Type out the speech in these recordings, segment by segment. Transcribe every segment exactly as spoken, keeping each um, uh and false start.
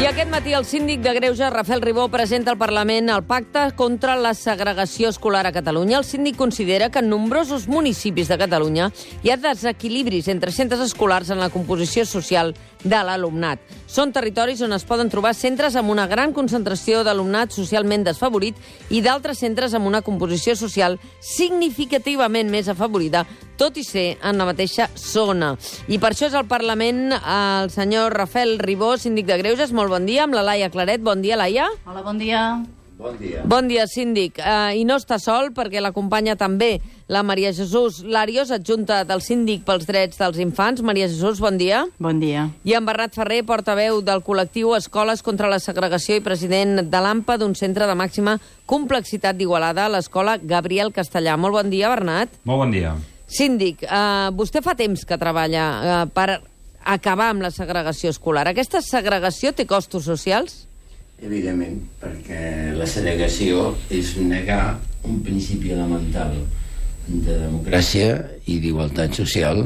I aquest matí el síndic de Greuges, Rafael Ribó, presenta al Parlament el Pacte contra la segregació escolar a Catalunya. El síndic considera que en nombrosos municipis de Catalunya hi ha desequilibris entre centres escolars en la composició social de l'alumnat. Són territoris on es poden trobar centres amb una gran concentració d'alumnat socialment desfavorit i d'altres centres amb una composició social significativament més afavorida, tot i ser en la mateixa zona. I per això és al Parlament el senyor Rafael Ribó, síndic de Greuges. Molt bon dia, amb la Laia Claret. Bon dia, Laia. Hola, bon dia. Bon dia. Bon dia, síndic. Uh, I no està sol, perquè l'acompanya també la Maria Jesús Larios, adjunta del síndic pels drets dels infants. Maria Jesús, bon dia. Bon dia. I en Bernat Ferrer, portaveu del col·lectiu Escoles contra la Segregació i president de l'A M P A d'un centre de màxima complexitat d'Igualada, l'escola Gabriel Castellà. Molt bon dia, Bernat. Molt bon dia. Síndic, uh, vostè fa temps que treballa uh, per acabar amb la segregació escolar. Aquesta segregació té costos socials? Evidentment, perquè la segregació és negar un principi elemental de democràcia i d'igualtat social,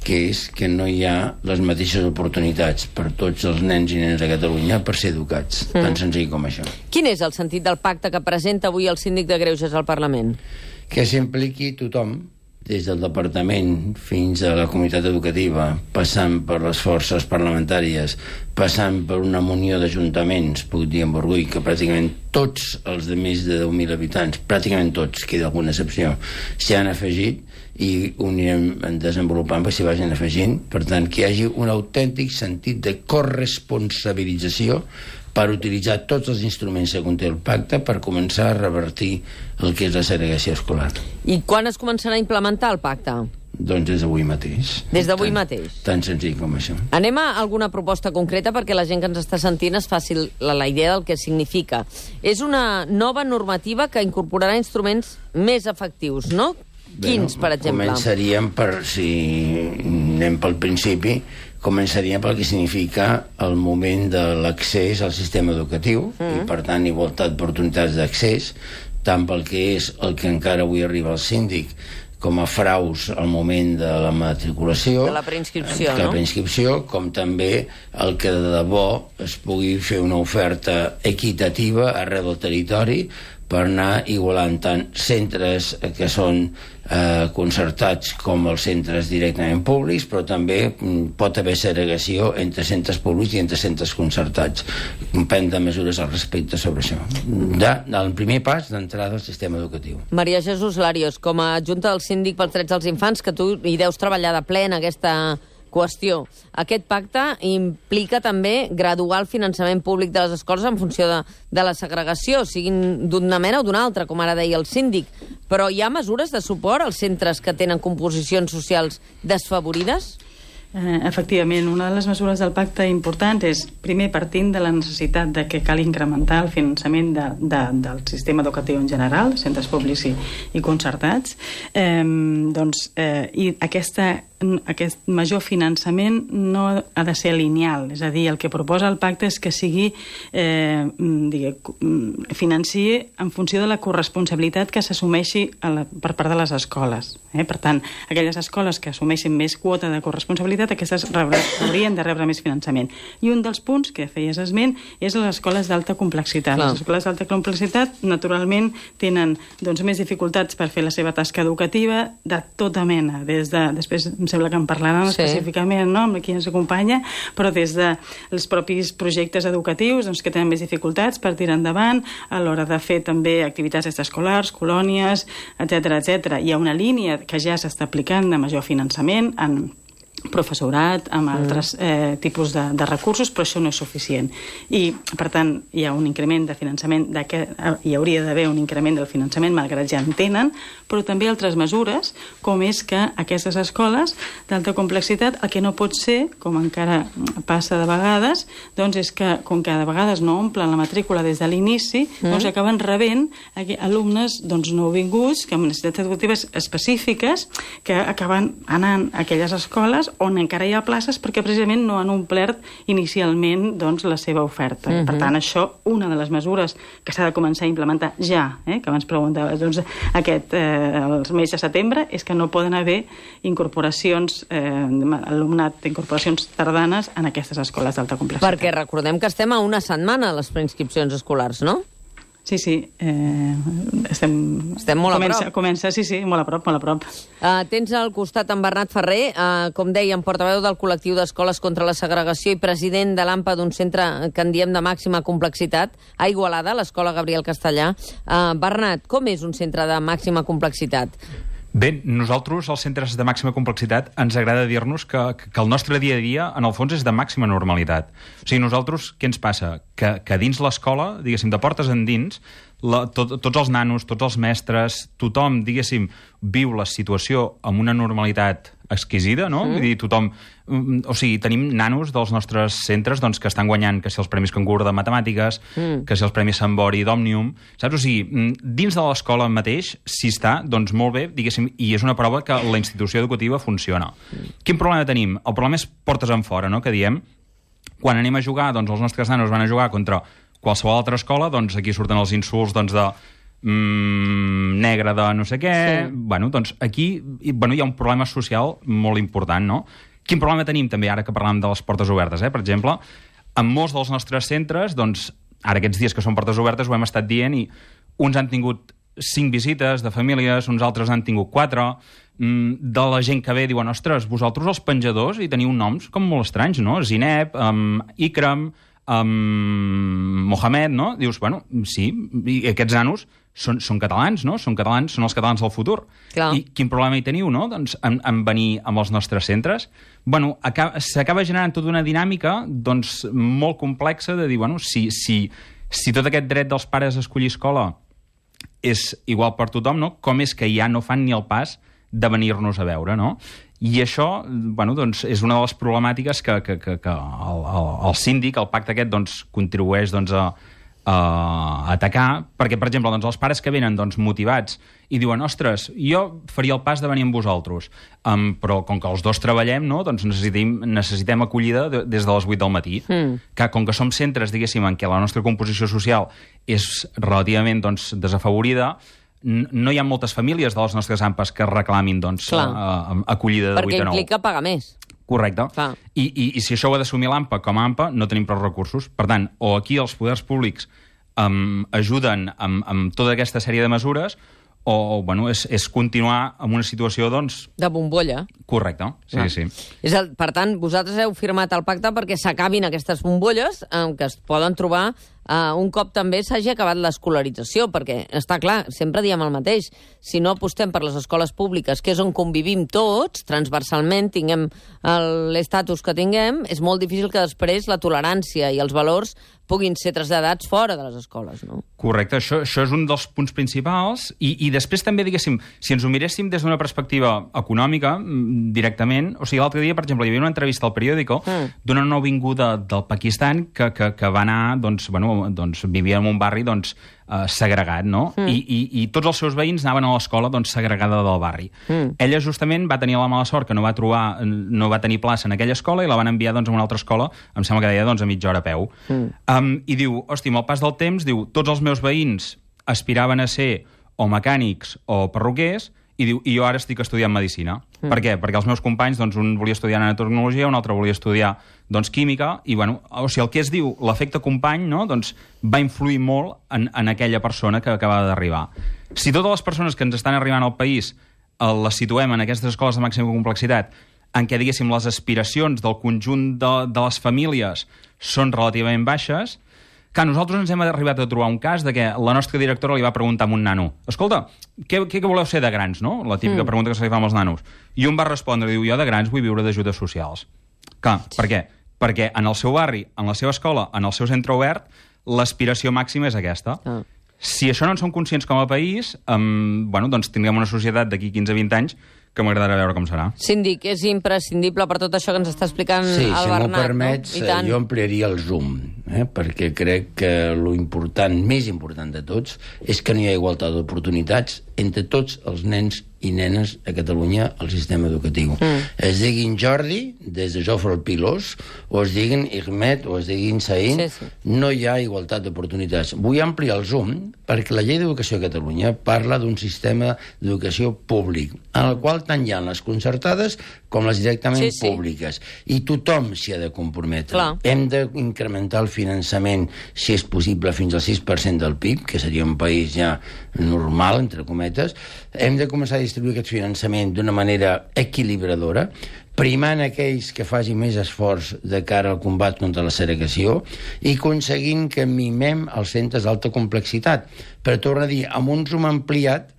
que és que no hi ha les mateixes oportunitats per tots els nens i nenes de Catalunya per ser educats, mm. tan senzill com això. Quin és el sentit del pacte que presenta avui el síndic de Greuges al Parlament? Que s'impliqui tothom, des del departament fins a la comunitat educativa, passant per les forces parlamentàries, passant per una munió d'ajuntaments, puc dir amb orgull que pràcticament tots els de més de deu mil habitants, pràcticament tots, queda alguna excepció, s'hi han afegit i ho anirem desenvolupant perquè s'hi vagin afegint. Per tant, que hi hagi un autèntic sentit de corresponsabilització per utilitzar tots els instruments que conté el pacte per començar a revertir el que és la segregació escolar. I quan es començarà a implementar el pacte? Doncs des d'avui mateix. Des d'avui Tan- mateix? Tan senzill com això. Anem a alguna proposta concreta perquè la gent que ens està sentint es faci la, la idea del que significa. És una nova normativa que incorporarà instruments més efectius, no? Quins, per exemple? Començaríem per, si anem pel principi, començaríem pel que significa el moment de l'accés al sistema educatiu mm. i, per tant, igualtat d'oportunitats d'accés, tant pel que és el que encara avui arriba al síndic com a fraus al moment de la matriculació, de la preinscripció, de la no? preinscripció, com també el que de debò es pugui fer una oferta equitativa arreu del territori per anar igualant tant centres que són eh, concertats com els centres directament públics, però també mm, pot haver segregació entre centres públics i entre centres concertats. Prendre mesures al respecte sobre això. De, el primer pas d'entrada al sistema educatiu. Maria Jesús Larios, com a adjunta del síndic pels drets dels infants, que tu hi deus treballar de ple en aquesta qüestió. Aquest pacte implica també graduar el finançament públic de les escoles en funció de, de la segregació, siguin d'una mena o d'una altra, com ara deia el síndic. Però hi ha mesures de suport als centres que tenen composicions socials desfavorides? Eh, efectivament, una de les mesures del pacte importants és, primer, partint de la necessitat de que cal incrementar el finançament de, de, del sistema educatiu en general, centres públics i, i concertats, eh, doncs, eh, i aquesta aquest major finançament no ha de ser lineal, és a dir, el que proposa el pacte és que sigui eh, digue, financiï en funció de la corresponsabilitat que s'assumeixi per part de les escoles. Eh? Per tant, aquelles escoles que assumeixin més quota de corresponsabilitat, aquestes rebre, haurien de rebre més finançament. I un dels punts que feies esment és les escoles d'alta complexitat. Clar. Les escoles d'alta complexitat, naturalment, tenen doncs, més dificultats per fer la seva tasca educativa de tota mena, des de, després em sembla que en parlaran sí. específicament, no?, amb qui ens acompanya, però des dels propis projectes educatius doncs, que tenen més dificultats per tirar endavant a l'hora de fer també activitats extraescolars, colònies, etcètera, etcètera. Hi ha una línia que ja s'està aplicant de major finançament en professorat, amb altres eh, tipus de, de recursos, però això no és suficient. I, per tant, hi ha un increment de finançament, de que, hi hauria d'haver un increment del finançament, malgrat ja en tenen, però també altres mesures, com és que aquestes escoles d'alta complexitat, el que no pot ser, com encara passa de vegades, doncs és que, com que de vegades no omplen la matrícula des de l'inici, mm. doncs acaben rebent alumnes doncs, nouvinguts, que amb necessitats educatives específiques, que acaben anant a aquelles escoles escoles on encara hi ha places perquè precisament no han omplert inicialment doncs, la seva oferta. Uh-huh. Per tant, això, una de les mesures que s'ha de començar a implementar ja, eh, que abans preguntaves, doncs, aquest, eh, els mesos de setembre, és que no poden haver incorporacions, eh, alumnat d'incorporacions tardanes en aquestes escoles d'alta complexitat. Perquè recordem que estem a una setmana a les preinscripcions escolars, no? Sí, sí. Eh, estem estem molt comença, a prop. Comença, sí, sí, molt a prop, molt a prop. Uh, tens al costat en Bernat Ferrer, uh, com dèiem, portaveu del col·lectiu d'escoles contra la segregació i president de l'A M P A d'un centre que en diem de màxima complexitat, a Igualada, l'Escola Gabriel Castellà. Uh, Bernat, com és un centre de màxima complexitat? Bé, nosaltres, als centres de màxima complexitat, ens agrada dir-nos que, que el nostre dia a dia, en el fons, és de màxima normalitat. O sigui, nosaltres, què ens passa? Que, que dins l'escola, diguéssim, de portes endins, la, tot, tots els nanos, tots els mestres, tothom, diguéssim, viu la situació amb una normalitat exquisida, no? Mm. Vull dir, tothom... O sigui, tenim nanos dels nostres centres doncs, que estan guanyant, que si els Premis Cangur de Matemàtiques, mm. que si els Premis Sambori d'Òmnium, saps? O sigui, dins de l'escola mateix, si està, doncs molt bé, diguéssim, i és una prova que la institució educativa funciona. Mm. Quin problema tenim? El problema és portes en fora, no?, que diem. Quan anem a jugar, doncs els nostres nanos van a jugar contra qualsevol altra escola, doncs aquí surten els insults doncs, de... Mm, negre de no sé què... Sí. Bueno, doncs aquí bueno, hi ha un problema social molt important, no? Quin problema tenim també, ara que parlàvem de les portes obertes, eh? Per exemple, en molts dels nostres centres, doncs, ara aquests dies que són portes obertes ho hem estat dient i uns han tingut cinc visites de famílies, uns altres han tingut quatre, mm, de la gent que ve diuen, ostres, vosaltres els penjadors hi teniu noms com molt estranys, no? Zineb, um, Ikram, um, Mohamed, no? Dius, bueno, sí, i aquests nanos són, són catalans, no? Són catalans, són els catalans del futur. Clar. I quin problema hi teniu, no? Doncs en, en venir amb els nostres centres. Bueno, s'acaba generant tota una dinàmica doncs, molt complexa de dir, bueno, si, si, si tot aquest dret dels pares a escollir escola és igual per tothom, no? Com és que ja no fan ni el pas de venir-nos a veure, no? I això, bueno, doncs, és una de les problemàtiques que, que, que, que el, el, el síndic, el pacte aquest, doncs, contribueix doncs, a, a atacar, perquè, per exemple, doncs, els pares que venen doncs, motivats i diuen, ostres, jo faria el pas de venir amb vosaltres, um, però com que els dos treballem, no, doncs necessitem, necessitem acollida de, des de les vuit del matí, mm. que com que som centres, diguéssim, en què la nostra composició social és relativament doncs, desafavorida, no hi ha moltes famílies de les nostres AMPAs que reclamin doncs, a, a, acollida de perquè vuit a nou. Perquè implica pagar més. Correcte. I, i, I si això ho ha d'assumir l'AMPA com a AMPA, no tenim prou recursos. Per tant, o aquí els poders públics um, ajuden amb, amb tota aquesta sèrie de mesures, o bueno, és, és continuar amb una situació, doncs... de bombolla. Correcte, sí, ah. sí. És el, per tant, vosaltres heu firmat el pacte perquè s'acabin aquestes bombolles eh, que es poden trobar Uh, un cop també s'hagi acabat l'escolarització, perquè, està clar, sempre diem el mateix, si no apostem per les escoles públiques, que és on convivim tots, transversalment, tinguem l'estatus que tinguem, és molt difícil que després la tolerància i els valors puguin ser traslladats fora de les escoles, no? Correcte, això, això és un dels punts principals, i, i després també, diguéssim, si ens ho miréssim des d'una perspectiva econòmica, directament, o sigui, l'altre dia, per exemple, hi havia una entrevista al periòdico mm. d'una nouvinguda del Pakistan que, que, que va anar, doncs, bueno, doncs, vivia en un barri doncs, eh, segregat, no? Mm. I, i, I tots els seus veïns anaven a l'escola doncs, segregada del barri. Mm. Ella justament va tenir la mala sort que no va trobar, no va tenir plaça en aquella escola i la van enviar doncs, a una altra escola, em sembla que deia doncs, a mitja hora a peu. Mm. Um, I diu, hosti, amb el pas del temps, diu, tots els meus veïns aspiraven a ser o mecànics o perruquers, i diu, i jo ara estic estudiant medicina. Mm. Per què? Perquè els meus companys, doncs, un volia estudiar nanotecnologia, un altre volia estudiar doncs, química, i bueno, o sigui, el que es diu l'efecte company, no?, doncs, va influir molt en, en aquella persona que acabava d'arribar. Si totes les persones que ens estan arribant al país eh, les situem en aquestes escoles de màxima complexitat, en què, diguéssim, les aspiracions del conjunt de, de les famílies són relativament baixes, que nosaltres ens hem arribat a trobar un cas de que la nostra directora li va preguntar a un nano, escolta, què, què voleu ser de grans, no? La típica mm. pregunta que se li fa amb els nanos. I un va respondre, diu, jo de grans vull viure d'ajudes socials. Clar, per què? Perquè en el seu barri, en la seva escola, en el seu centre obert, l'aspiració màxima és aquesta. Ah. Si això no en som conscients com a país, um, bueno, doncs tindrem una societat d'aquí quinze a vint anys que m'agradarà veure com serà. Síndic, és imprescindible per tot això que ens està explicant sí, el si Bernat. Sí, si m'ho permets, no? jo ampliaria el zoom, eh? perquè crec que lo important, més important de tots, és que no hi ha igualtat d'oportunitats entre tots els nens i nenes a Catalunya al sistema educatiu. Mm. Es diguin Jordi, des de Jofre el Pilós, o es diguin Irmet, o es diguin Saïn, sí, sí. No hi ha igualtat d'oportunitats. Vull ampliar el zoom perquè la llei d'educació a Catalunya parla d'un sistema d'educació públic, en el qual tant hi ha les concertades com les directament sí, sí. públiques. I tothom s'hi ha de comprometre. Clar. Hem d'incrementar el finançament, si és possible, fins al sis per cent del P I B, que seria un país ja normal, entre cometes. Hem de començar a distribuir aquest finançament d'una manera equilibradora, primant aquells que facin més esforç de cara al combat contra la segregació i aconseguint que mimem els centres d'alta complexitat. Però torno a dir, amb un zoom ampliat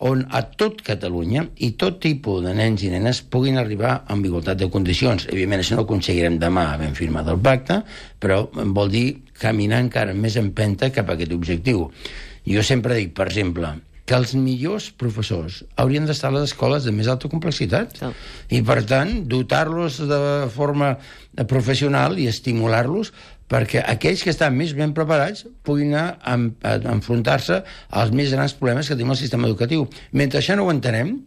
on a tot Catalunya i tot tipus de nens i nenes puguin arribar amb igualtat de condicions. Evidentment, això no ho aconseguirem demà havent firmat el pacte, però vol dir caminar encara més empenta cap a aquest objectiu. Jo sempre dic, per exemple, que els millors professors haurien d'estar a les escoles de més alta complexitat sí. I, per tant, dotar-los de forma professional i estimular-los perquè aquells que estan més ben preparats puguin anar a, a, a enfrontar-se als més grans problemes que tenim al sistema educatiu. Mentre això no ho entenem,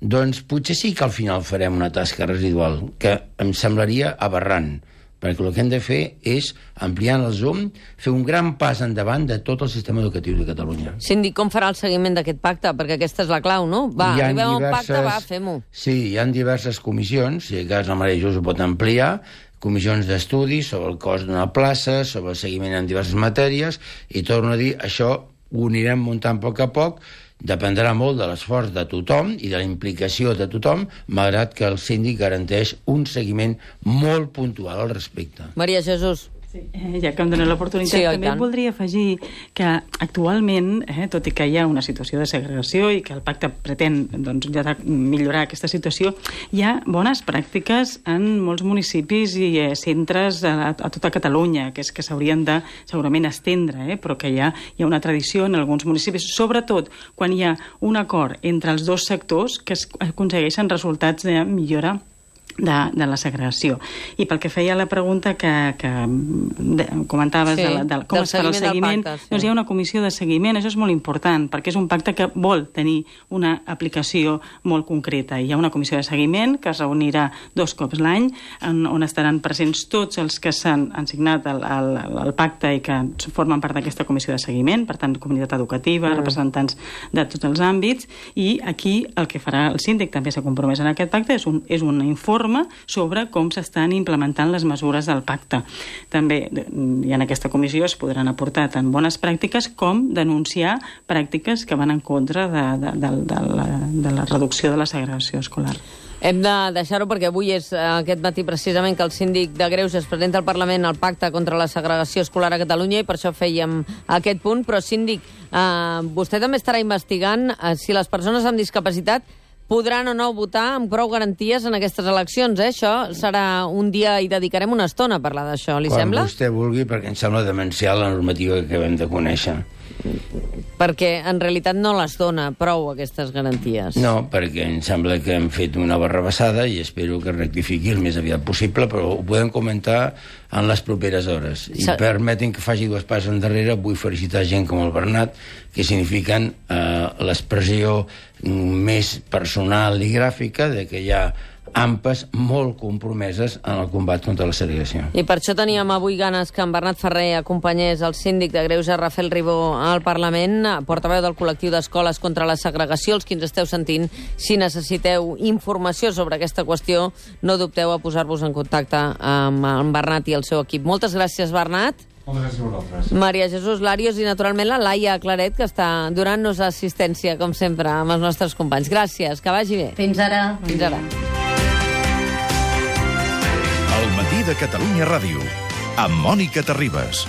doncs potser sí que al final farem una tasca residual, que em semblaria aberrant, perquè el que hem de fer és, ampliant el zoom, fer un gran pas endavant de tot el sistema educatiu de Catalunya. Síndic, com farà el seguiment d'aquest pacte? Perquè aquesta és la clau, no? Va, arribem a un pacte, va, fem-ho. Sí, hi ha diverses comissions, si a cas la Maria Jesús ho pot ampliar, comissions d'estudi sobre el cost d'una plaça, sobre el seguiment en diverses matèries, i torno a dir, això ho anirem muntant a poc a poc, dependrà molt de l'esforç de tothom i de la implicació de tothom, malgrat que el síndic garanteix un seguiment molt puntual al respecte. Maria Jesús. Sí, eh, ja que em dona l'oportunitat, sí, també voldria afegir que actualment, eh, tot i que hi ha una situació de segregació i que el pacte pretén doncs, ja millorar aquesta situació, hi ha bones pràctiques en molts municipis i eh, centres a, a tota Catalunya, que és que s'haurien de segurament estendre, eh, però que hi ha, hi ha una tradició en alguns municipis, sobretot quan hi ha un acord entre els dos sectors que es aconsegueixen resultats de millora De, de la segregació. I pel que feia la pregunta que, que de, comentaves sí, de, la, de com es farà el seguiment, pacte, sí. Doncs hi ha una comissió de seguiment, això és molt important, perquè és un pacte que vol tenir una aplicació molt concreta. Hi ha una comissió de seguiment que es reunirà dos cops l'any, on, on estaran presents tots els que s'han signat el, el, el pacte i que formen part d'aquesta comissió de seguiment, per tant, comunitat educativa, mm. representants de tots els àmbits, i aquí el que farà el síndic, també s'ha compromès en aquest pacte, és un, és un informe sobre com s'estan implementant les mesures del pacte. També i en aquesta comissió es podran aportar tant bones pràctiques com denunciar pràctiques que van en contra de, de, de, de, la, de la reducció de la segregació escolar. Hem de deixar-ho perquè avui és aquest matí precisament que el síndic de Greuges presenta al Parlament el pacte contra la segregació escolar a Catalunya i per això fèiem aquest punt. Però, síndic, eh, vostè també estarà investigant eh, si les persones amb discapacitat podran o no votar amb prou garanties en aquestes eleccions, eh? Això serà un dia i dedicarem una estona a parlar d'això, li Quan sembla? Quan vostè vulgui, perquè em sembla demencial la normativa que acabem de conèixer. Perquè en realitat no les dona prou aquestes garanties. No, perquè em sembla que hem fet una barrabassada i espero que rectifiqui el més aviat possible, però ho podem comentar en les properes hores. I Sa permetin que faci dues passes endarrere, vull felicitar gent com el Bernat, que signifiquen eh, l'expressió més personal i gràfica de que hi ha ampes molt compromeses en el combat contra la segregació. I per això teníem avui ganes que en Bernat Ferrer acompanyés el síndic de Greuges, Rafael Ribó, al Parlament, portaveu del col·lectiu d'escoles contra la segregació. Els que ens esteu sentint, si necessiteu informació sobre aquesta qüestió, no dubteu a posar-vos en contacte amb en Bernat i el seu equip. Moltes gràcies, Bernat. Moltes gràcies a vosaltres. Maria Jesús Larios i, naturalment, la Laia Claret, que està donant-nos assistència, com sempre, amb els nostres companys. Gràcies, que vagi bé. Fins ara. Fins ara. El matí de Catalunya Ràdio, amb Mònica Terribas.